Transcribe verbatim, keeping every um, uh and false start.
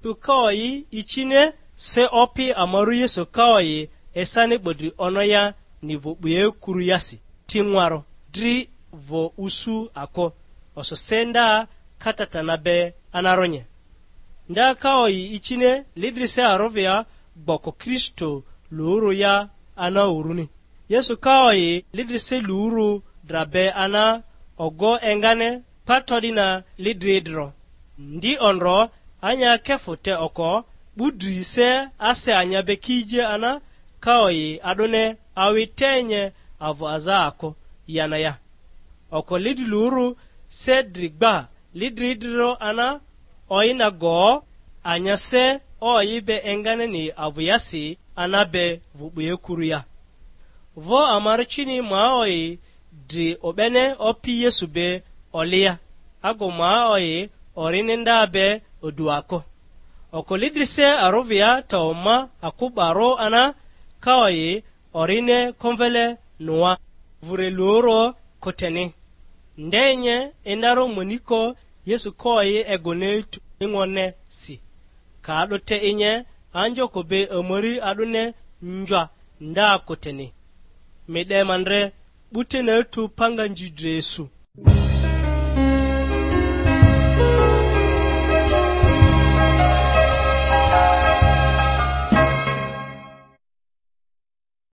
Tu kaoyi icine, se Opi ama ru Yesu kaoyi esani 'bodri ono ya ni vᴜ 'buye kuru yasi, ti ŋwarᴜ, dri vᴜ usu ako, oso se nda katatana be anaronye. Nda kaoyi icine, lidri se arovia gboko Kristo lurᴜ ya ana uruni. Yesu kaoyi lidri se lurᴜ dra be ana ogo engane pa to'dina lidri idro. Ndi ondro, anya kefu te oko, 'bu dri se ase anya be kije ana kaoyi a'dᴜne awi tenye avᴜ aza ako yana ya. Oko lidri lurᴜ se dri gba, lidri idrirᴜ ana oina go, anya se oyi be enganeni avᴜ yasi ana be vᴜ 'buye kuru ya. Vo ama rucini ma oyi dri o'bene Opi Yesu be olia, ago ma oyi orini nda be odu ako. Oko lidri se arovia ta oma akubarᴜ ana kaoyi orine komvele nua, vure luro koteni. Ndenye inaro moniko Yesu koyi egone tu ingone si. Ka a'dᴜ te inye anjoko be amari a'dᴜne njwa nda koteni. Mi 'de ma ndre 'butene tu panga nji dre su.